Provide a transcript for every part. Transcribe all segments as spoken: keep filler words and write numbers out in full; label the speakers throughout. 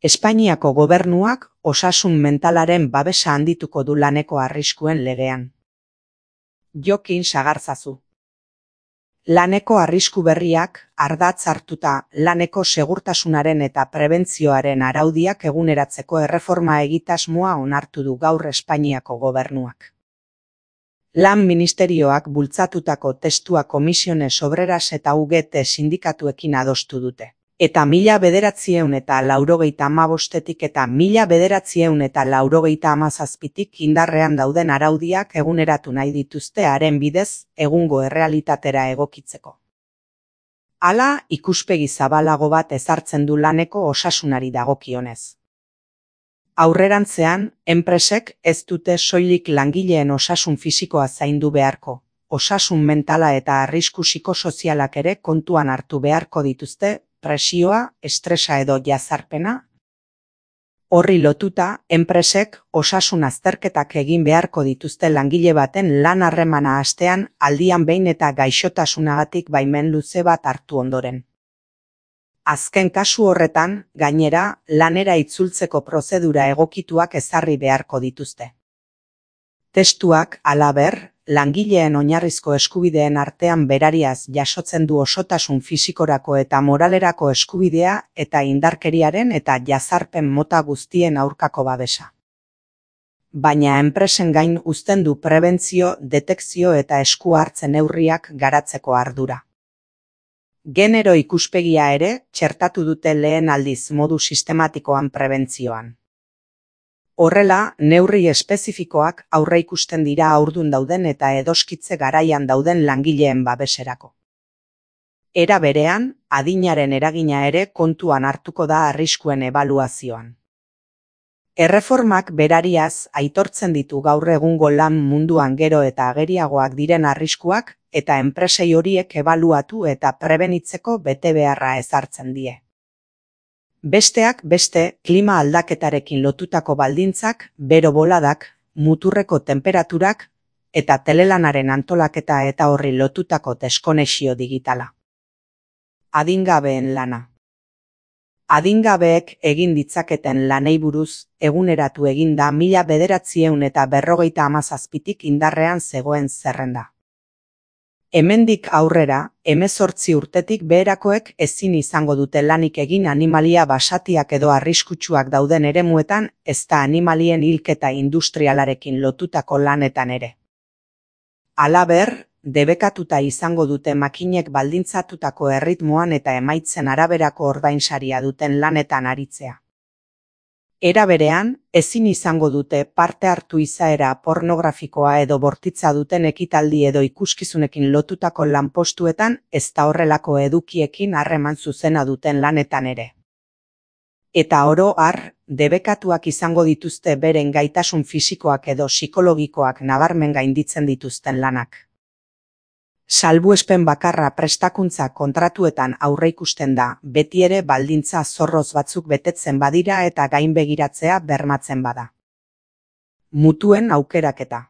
Speaker 1: Espainiako gobernuak osasun mentalaren babesa handituko du laneko arriskuen legean. Jokin Sagarzazu. Laneko arrisku berriak ardatz hartuta laneko segurtasunaren eta prebentzioaren araudiak eguneratzeko erreforma egitasmoa onartu du gaur Espainiako gobernuak. Lan ministerioak bultzatutako testua Komisiones Obreras eta U G T sindikatuekin adostu dute. Eta mila bederatziehun eta laurogeita hamabostetik eta mila bederatziehun eta laurogeita hamazazpitik indarrean dauden araudiak eguneratu nahi dituzte haren bidez egungo errealitatera egokitzeko. Hala, ikuspegi zabalago bat ezartzen du laneko osasunari dagokionez. Aurrerantzean, enpresek ez dute soilik langileen osasun fisikoa zaindu beharko, osasun mentala eta arrisku psikosozialak ere kontuan hartu beharko dituzte, presioa, estresa edo jazarpena. Horri lotuta, enpresek osasun azterketak egin beharko dituzte langile baten lan harremana hastean aldian behin eta gaixotasunagatik baimen luze bat hartu ondoren. Azken kasu horretan, gainera, lanera itzultzeko prozedura egokituak ezarri beharko dituzte. Testuak, halaber, langileen oinarrizko eskubideen artean berariaz jasotzen du osotasun fisikorako eta moralerako eskubidea eta indarkeriaren eta jazarpen mota guztien aurkako babesa. Baina enpresen gain uzten du prebentzio, detekzio eta esku hartzen neurriak garatzeko ardura. Genero ikuspegia ere txertatu dute lehen aldiz modu sistematikoan prebentzioan. Horrela, neurri espezifikoak aurreikusten dira haurdun dauden eta edoskitze garaian dauden langileen babeserako. Era berean, adinaren eragina ere kontuan hartuko da arriskuen ebaluazioan. Erreformak berariaz aitortzen ditu gaur egungo lan munduan gero eta ageriagoak diren arriskuak eta enpresei horiek ebaluatu eta prebenitzeko betebeharra ezartzen die. Besteak beste, klima aldaketarekin lotutako baldintzak, bero boladak, muturreko temperaturak eta telelanaren antolaketa eta horri lotutako deskonexio digitala. Adingabeen lana. Adingabeek egin ditzaketen lanei buruz eguneratu egin da mila bederatziehun eta berrogeita hamazazpitik indarrean zegoen zerrenda. Hemendik aurrera, hemezortzi urtetik beherakoek ezin izango dute lanik egin animalia basatiak edo arriskutsuak dauden eremuetan, ezta animalien hilketa industrialarekin lotutako lanetan ere. Halaber, debekatuta izango dute makinek baldintzatutako erritmoan eta emaitzen araberako ordainsaria duten lanetan aritzea. Era berean, ezin izango dute parte hartu izaera pornografikoa edo bortitza duten ekitaldi edo ikuskizunekin lotutako lanpostuetan ezta horrelako edukiekin harreman zuzena duten lanetan ere. Eta oro har, debekatuak izango dituzte beren gaitasun fisikoak edo psikologikoak nabarmen gainditzen dituzten lanak. Salbuespen bakarra prestakuntza kontratuetan aurreikusten da, beti ere baldintza zorroz batzuk betetzen badira eta gainbegiratzea bermatzen bada. Mutuen aukeraketa.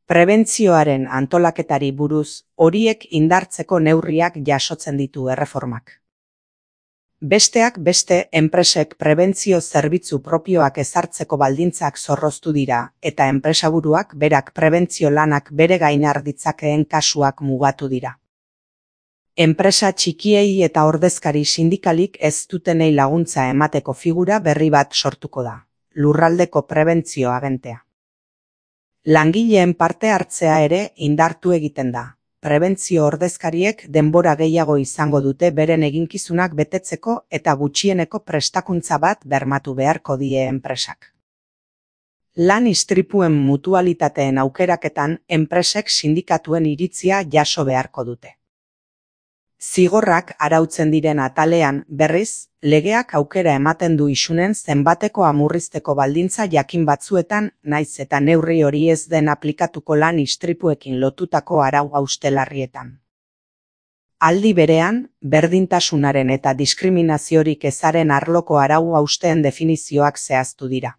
Speaker 1: Prebentzioaren antolaketari buruz, horiek indartzeko neurriak jasotzen ditu erreformak. Besteak beste, enpresek prebentzio zerbitzu propioak ezartzeko baldintzak zorroztu dira, eta enpresaburuak berak prebentzio lanak bere gain har ditzakeen kasuak mugatu dira. Enpresa txikiei eta ordezkari sindikalik ez dutenei laguntza emateko figura berri bat sortuko da, lurraldeko prebentzio agentea. Langileen parte hartzea ere indartu egiten da. Prebentzio ordezkariek denbora gehiago izango dute beren eginkizunak betetzeko eta gutxieneko prestakuntza bat bermatu beharko die enpresak. Lan istripuen mutualitateen aukeraketan enpresek sindikatuen iritzia jaso beharko dute. Zigorrak arautzen diren atalean, berriz, legeak aukera ematen du isunen zenbateko amurrizteko baldintza jakin batzuetan, naiz eta neurri hori ez den aplikatuko lan istripuekin lotutako arau haustelarrietan. Aldi berean, berdintasunaren eta diskriminaziorik ezaren arloko arau hausteen definizioak zehaztu dira.